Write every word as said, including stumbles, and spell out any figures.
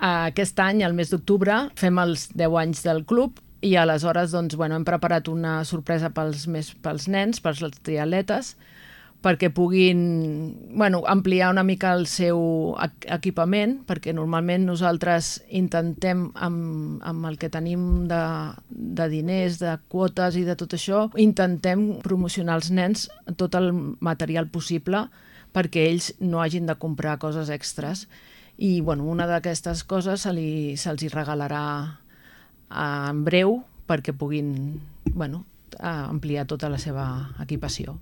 Aquest any, al mes d'octubre, fem els deu anys del club i aleshores doncs, bueno, hem preparat una sorpresa pels, més, pels nens, pels triatletes, perquè puguin bueno, ampliar una mica el seu equipament, perquè normalment nosaltres intentem, amb, amb el que tenim de, de diners, de quotes i de tot això, intentem promocionar als nens tot el material possible perquè ells no hagin de comprar coses extres. I bueno, una d'aquestes coses se li, se'ls hi regalarà en breu perquè puguin bueno, ampliar tota la seva equipació.